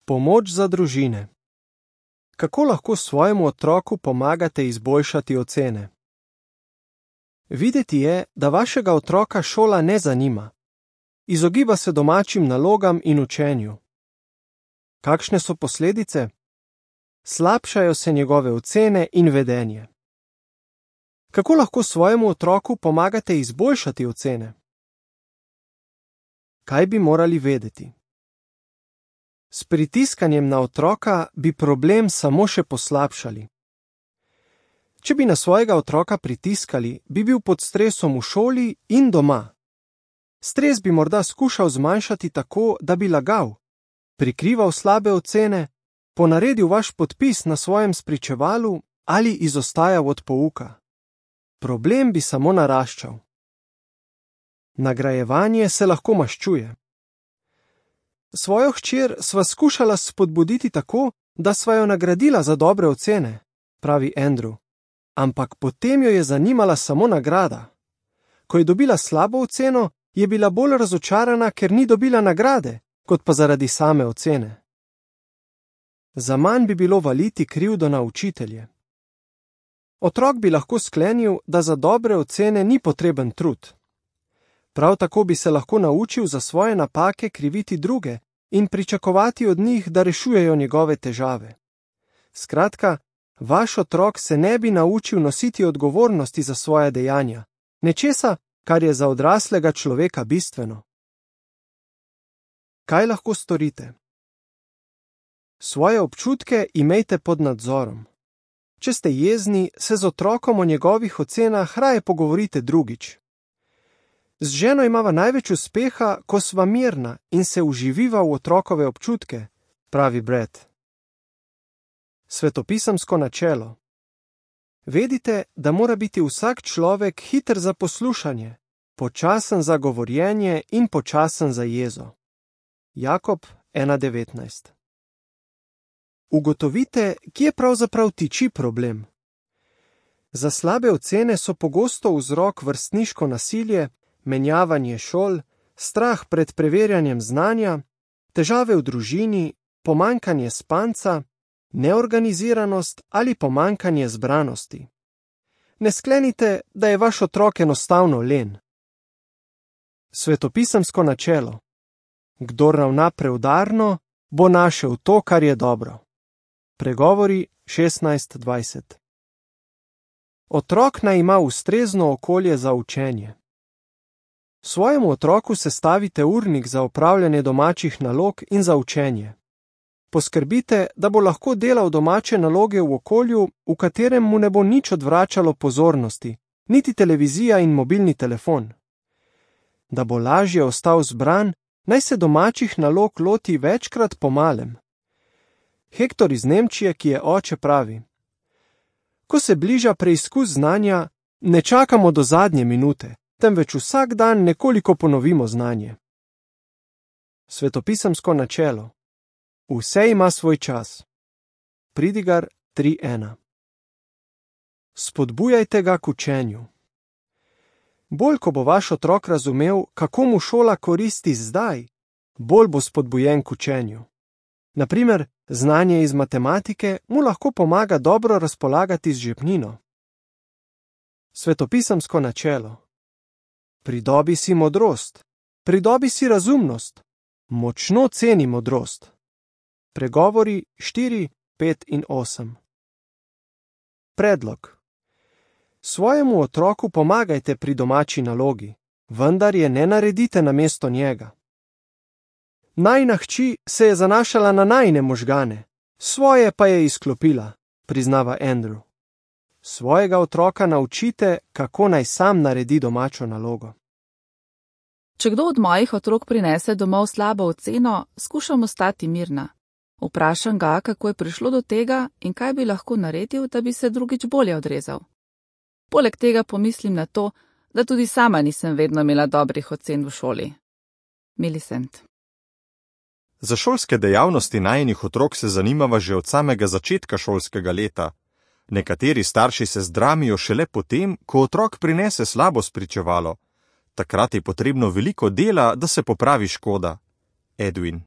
Pomoč za družine. Kako lahko svojemu otroku pomagate izboljšati ocene? Videti je, da vašega otroka šola ne zanima. Izogiba se domačim nalogam in učenju. Kakšne so posledice? Slabšajo se njegove ocene in vedenje. Kako lahko svojemu otroku pomagate izboljšati ocene? Kaj bi morali vedeti? S pritiskanjem na otroka bi problem samo še poslabšali. Če bi na svojega otroka pritiskali, bi bil pod stresom v šoli in doma. Stres bi morda skušal zmanjšati tako, da bi lagal, prikrival slabe ocene, ponaredil vaš podpis na svojem spričevalu ali izostajal od pouka. Problem bi samo naraščal. Nagrajevanje se lahko maščuje. Svojo hčer sva skušala spodbuditi tako, da sva jo nagradila za dobre ocene, pravi Andrew. Ampak potem jo je zanimala samo nagrada. Ko je dobila slabo oceno, je bila bolj razočarana, ker ni dobila nagrade, kot pa zaradi same ocene. Zaman bi bilo valiti krivdo na učitelje. Otrok bi lahko sklenil, da za dobre ocene ni potreben trud. Prav tako bi se lahko naučil za svoje napake kriviti druge in pričakovati od njih, da rešujejo njegove težave. Skratka, vaš otrok se ne bi naučil nositi odgovornosti za svoje dejanja, nečesa, kar je za odraslega človeka bistveno. Kaj lahko storite? Svoje občutke imejte pod nadzorom. Če ste jezni, se z otrokom o njegovih ocenah raje pogovorite drugič. Z ženo imava največ uspeha, ko sva mirna in se uživiva v otrokove občutke, pravi Brad. Svetopisemsko načelo. Vedite, da mora biti vsak človek hiter za poslušanje, počasen za govorjenje in počasen za jezo. Jakob 1:19. Ugotovite, kje pravzaprav tiči problem. Za slabe ocene so pogosto vzrok vrstniško nasilje, menjavanje šol, strah pred preverjanjem znanja, težave v družini, pomanjkanje spanca, neorganiziranost ali pomanjkanje zbranosti. Ne sklenite, da je vaš otrok enostavno len. Svetopisemsko načelo. Kdor ravna preudarno, bo našel to, kar je dobro. Pregovori 16:20. Otrok naj ima ustrezno okolje za učenje. Svojemu otroku sestavite urnik za opravljanje domačih nalog in za učenje. Poskrbite, da bo lahko delal domače naloge v okolju, v katerem mu ne bo nič odvračalo pozornosti, niti televizija in mobilni telefon. Da bo lažje ostal zbran, naj se domačih nalog loti večkrat po malem. Hektor iz Nemčije, ki je oče, pravi: Ko se bliža preizkus znanja, ne čakamo do zadnje minute, temveč vsak dan nekoliko ponovimo znanje. Svetopisemsko načelo. Vse ima svoj čas. Pridigar 3:1. Spodbujajte ga k učenju. Bolj, ko bo vaš otrok razumel, kako mu šola koristi zdaj, bolj bo spodbujen k učenju. Na primer, znanje iz matematike mu lahko pomaga dobro razpolagati z žepnino. Svetopisemsko načelo. Pridobi si modrost, pridobi si razumnost, močno ceni modrost. Pregovori 4, 5 in 8. Predlog. Svojemu otroku pomagajte pri domači nalogi, vendar je ne naredite namesto njega. Najina hči se je zanašala na najine možgane, svoje pa je izklopila, priznava Andrew. Svojega otroka naučite, kako naj sam naredi domačo nalogo. Če kdo od mojih otrok prinese domov slabo oceno, skušam ostati mirna. Vprašam ga, kako je prišlo do tega in kaj bi lahko naredil, da bi se drugič bolje odrezal. Poleg tega pomislim na to, da tudi sama nisem vedno imela dobrih ocen v šoli. Millicent. Za šolske dejavnosti najinih otrok se zanimava že od samega začetka šolskega leta. Nekateri starši se zdramijo šele potem, ko otrok prinese slabo spričevalo. Takrat je potrebno veliko dela, da se popravi škoda. Edwin.